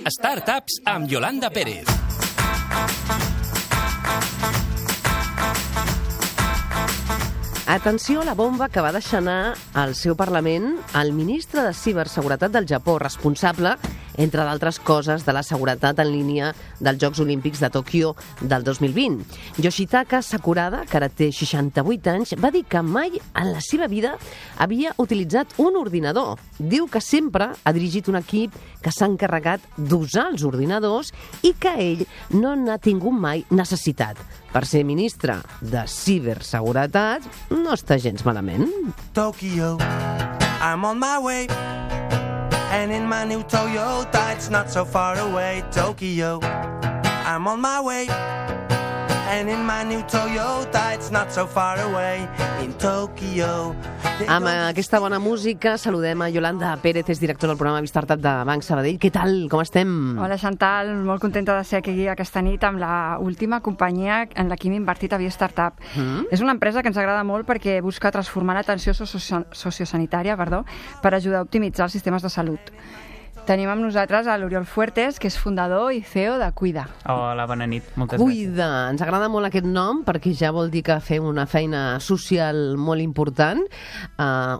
Startups amb Yolanda Pérez. Atenció a la bomba que va deixar anar al seu Parlament el ministre de Ciberseguretat del Japó, responsable, entre d'altres coses, de la seguretat en línia dels Jocs Olímpics de Tòquio del 2020. Yoshitaka Sakurada, que ara té 68 anys, va dir que mai en la seva vida havia utilitzat un ordinador. Diu que sempre ha dirigit un equip que s'ha encarregat d'usar els ordinadors i que ell no n'ha tingut mai necessitat. Per ser ministre de Ciberseguretat no està gens malament. Tokyo, I'm on my way. And in my new Toyota, it's not so far away. Tokyo, I'm on my way. And in my new Toyota, it's not so far away. In Tokyo. Amb aquesta bona música saludem a Yolanda Pérez, és directora del programa Startup de Banc Sabadell. Què tal? Com estem? Hola, Chantal. Molt contenta de ser aquí aquesta nit amb la última companyia en la que hem invertit a Via Startup. És una empresa que ens agrada molt perquè busca transformar l'atenció sociosanitària per ajudar a optimitzar els sistemes de salut. Tenim amb nosaltres a l'Oriol Fuertes, que és fundador i CEO de Cuida. Hola, bona nit. Moltes gràcies. Cuida. Ens agrada molt aquest nom perquè ja vol dir que fem una feina social molt important.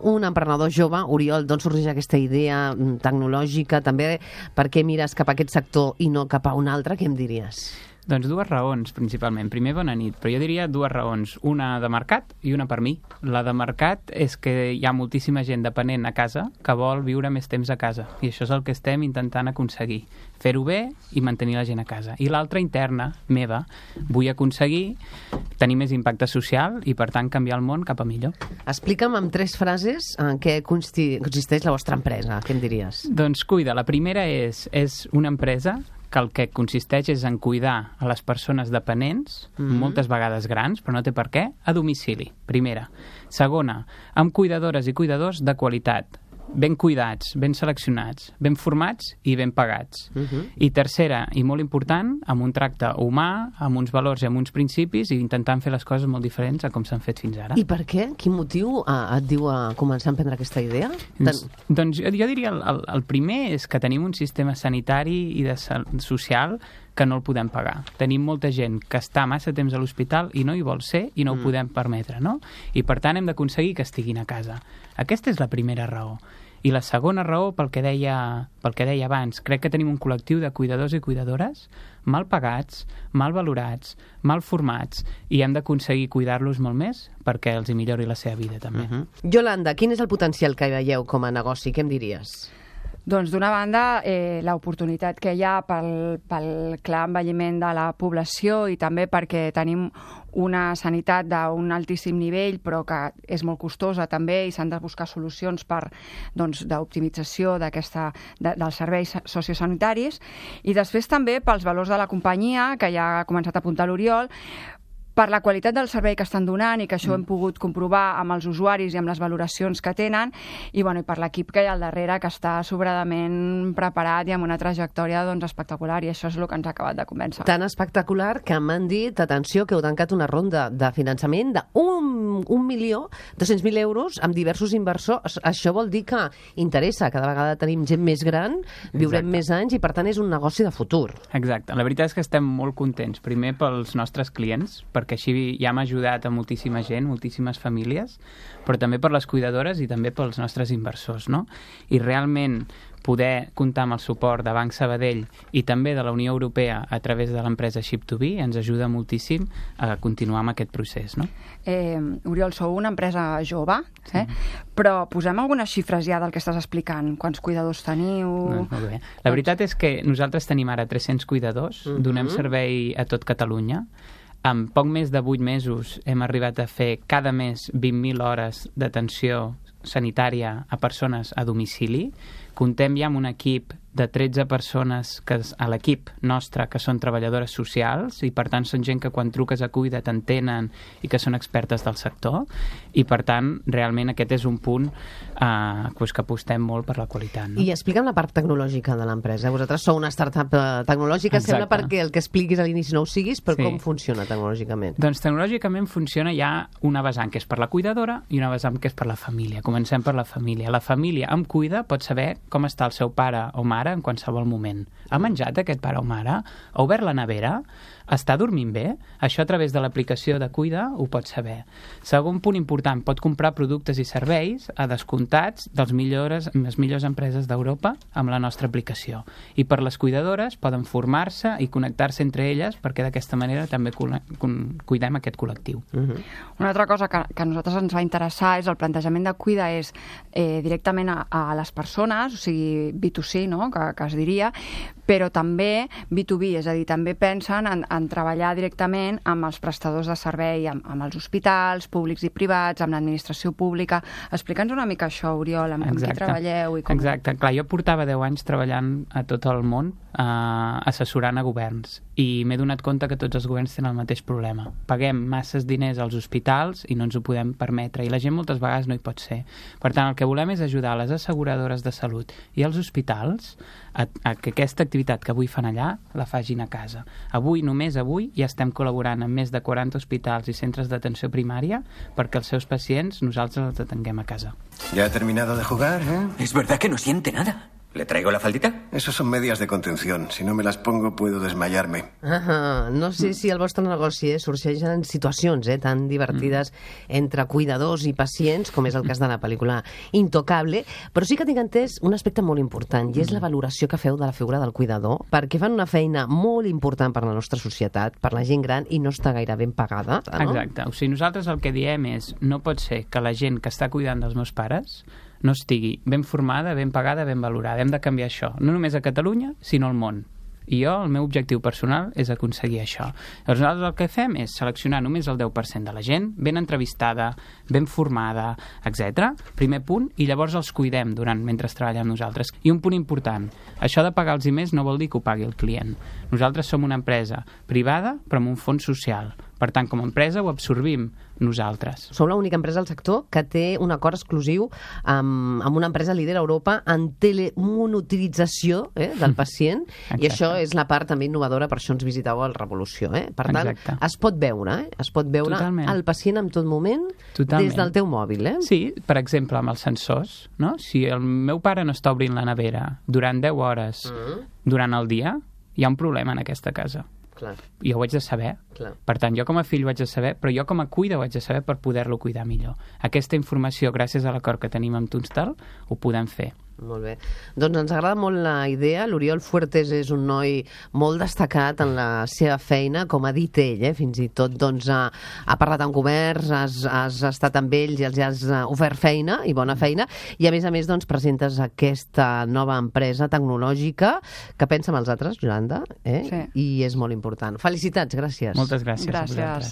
Un emprenedor jove, Oriol, d'on sorgeix aquesta idea tecnològica? També per què mires cap a aquest sector i no cap a un altre? Què em diries? Doncs dues raons, principalment. Primer, bona nit, però jo diria dues raons. Una de mercat i una per mi. La de mercat és que hi ha moltíssima gent dependent a casa que vol viure més temps a casa, i això és el que estem intentant aconseguir. Fer-ho bé i mantenir la gent a casa. I l'altra, interna, meva, vull aconseguir tenir més impacte social i, per tant, canviar el món cap a millor. Explica'm amb 3 frases en què consisteix la vostra empresa. Què em diries? Doncs Cuida. La primera és una empresa que el que consisteix és en cuidar a les persones dependents, moltes vegades grans, però no té per què, a domicili, primera. Segona, amb cuidadores i cuidadors de qualitat, ben cuidats, ben seleccionats, ben formats i ben pagats. I tercera, i molt important, amb un tracte humà, amb uns valors i amb uns principis, i intentant fer les coses molt diferents a com s'han fet fins ara. I per què? Quin motiu et diu a començar a emprendre aquesta idea? Doncs jo diria el primer és que tenim un sistema sanitari i social que no el podem pagar. Tenim molta gent que està massa temps a l'hospital i no hi vol ser i no ho podem permetre, no? I per tant hem d'aconseguir que estiguin a casa. Aquesta és la primera raó. I la segona raó, pel que deia abans, crec que tenim un col·lectiu de cuidadors i cuidadores mal pagats, mal valorats, mal formats, i hem d'aconseguir cuidar-los molt més perquè els hi millori la seva vida, també. Yolanda, quin és el potencial que veieu com a negoci? Què em diries? Doncs, d'una banda, l'oportunitat que hi ha pel clar envelliment de la població i també perquè tenim una sanitat d'un altíssim nivell però que és molt costosa també i s'han de buscar solucions d'optimització dels serveis sociosanitaris, i després també pels valors de la companyia, que ja ha començat a apuntar l'Oriol, per la qualitat del servei que estan donant i que això ho hem pogut comprovar amb els usuaris i amb les valoracions que tenen, i per l'equip que hi ha al darrere, que està sobradament preparat i amb una trajectòria espectacular, i això és el que ens ha acabat de convèncer. Tan espectacular que m'han dit, atenció, que heu tancat una ronda de finançament de 1.200.000 euros amb diversos inversors. Això vol dir que interessa, cada vegada tenim gent més gran, viurem més anys i per tant és un negoci de futur. Exacte. La veritat és que estem molt contents, primer pels nostres clients, perquè així ja hem ajudat a moltíssima gent, moltíssimes famílies, però també per les cuidadores i també pels nostres inversors, no? I realment poder comptar amb el suport de Banc Sabadell i també de la Unió Europea a través de l'empresa Ship2B ens ajuda moltíssim a continuar amb aquest procés, no? Oriol, sou una empresa jove, però posem algunes xifres ja del que estàs explicant. Quants cuidadors teniu? Molt bé. La veritat és que nosaltres tenim ara 300 cuidadors, donem servei a tot Catalunya. En poc més de 8 mesos hem arribat a fer cada mes 20.000 hores d'atenció sanitària a persones a domicili. Comptem ja amb un equip de 13 persones a l'equip nostre que són treballadores socials i per tant són gent que quan truques a Cuida t'entenen i que són expertes del sector, i per tant realment aquest és un punt que apostem molt per la qualitat, no? I explica'm la part tecnològica de l'empresa. Vosaltres sou una startup tecnològica. Exacte. Sembla perquè el que expliquis a l'inici no ho siguis, però com funciona tecnològicament? Doncs tecnològicament funciona ja una vessant que és per la cuidadora i una vessant que és per la família. Comencem per la família. La família amb Cuida pot saber com està el seu pare o mare en qualsevol moment. Ha menjat aquest pare o mare? Ha obert la nevera? Està dormint bé? Això a través de l'aplicació de Cuida ho pot saber. Segon punt important, pot comprar productes i serveis a descomptats de les millors empreses d'Europa amb la nostra aplicació. I per les cuidadores poden formar-se i connectar-se entre elles perquè d'aquesta manera també cuidem aquest col·lectiu. Una altra cosa que a nosaltres ens va interessar és el plantejament de Cuida és directament a les persones, o sigui, B2C, no?, que es diria, però també B2B, és a dir, també pensen en treballar directament amb els prestadors de servei, amb els hospitals públics i privats, amb l'administració pública. Explica'ns una mica això, Oriol, amb qui treballeu i com... Exacte, clar, jo portava 10 anys treballant a tot el món, assessorant a governs, i m'he donat compte que tots els governs tenen el mateix problema. Paguem masses diners als hospitals i no ens ho podem permetre, i la gent moltes vegades no hi pot ser. Per tant, el que volem és ajudar les asseguradores de salut i els hospitals a que aquesta activitat que avui fan allà la facin a casa. Només avui, ja estem col·laborant amb més de 40 hospitals i centres d'atenció primària perquè els seus pacients nosaltres els atenguem a casa. ¿Ya ha terminado de jugar, eh? ¿Es verdad que no siente nada? ¿Le traigo la faldita? Esos son medias de contención. Si no me las pongo, puedo desmayarme. No sé si el vostre negoci sorgeixen situacions tan divertides entre cuidadors i pacients, com és el cas de la pel·lícula Intocable, però sí que tinc entès un aspecte molt important, i és la valoració que feu de la figura del cuidador, perquè fan una feina molt important per la nostra societat, per la gent gran, i no està gaire ben pagada. No? Exacte. O sigui, nosaltres el que diem és no pot ser que la gent que està cuidant dels meus pares no estigui ben formada, ben pagada, ben valorada. Hem de canviar això, no només a Catalunya, sinó al món. I jo, el meu objectiu personal és aconseguir això. Llavors, nosaltres el que fem és seleccionar només el 10% de la gent, ben entrevistada, ben formada, etc. Primer punt, i llavors els cuidem mentre treballem nosaltres. I un punt important, això de pagar els més no vol dir que ho pagui el client. Nosaltres som una empresa privada, però amb un fons social. Per tant, com a empresa ho absorbim nosaltres. Som l'única empresa del sector que té un acord exclusiu amb una empresa líder a Europa en telemonitorització del pacient, i això és la part també innovadora, per això ens visiteu al Revolució. Per tant, es pot veure Totalment. el pacient en tot moment des del teu mòbil. Sí, per exemple, amb els sensors. No? Si el meu pare no està obrint la nevera durant 10 hores durant el dia, hi ha un problema en aquesta casa. Clar. Jo ho haig de saber. Clar. Per tant, jo com a fill ho haig de saber, però jo com a cuida ho haig de saber per poder-lo cuidar millor. Aquesta informació, gràcies a l'acord que tenim amb Tunstall, ho podem fer. Molt bé. Doncs ens agrada molt la idea. L'Oriol Fuertes és un noi molt destacat en la seva feina, com ha dit ell, fins i tot ha parlat amb governs, has estat amb ells i els has ofert feina, i bona feina, i a més presentes aquesta nova empresa tecnològica que pensa en els altres, Yolanda, Sí. I és molt important. Felicitats, gràcies. Moltes gràcies. Gràcies.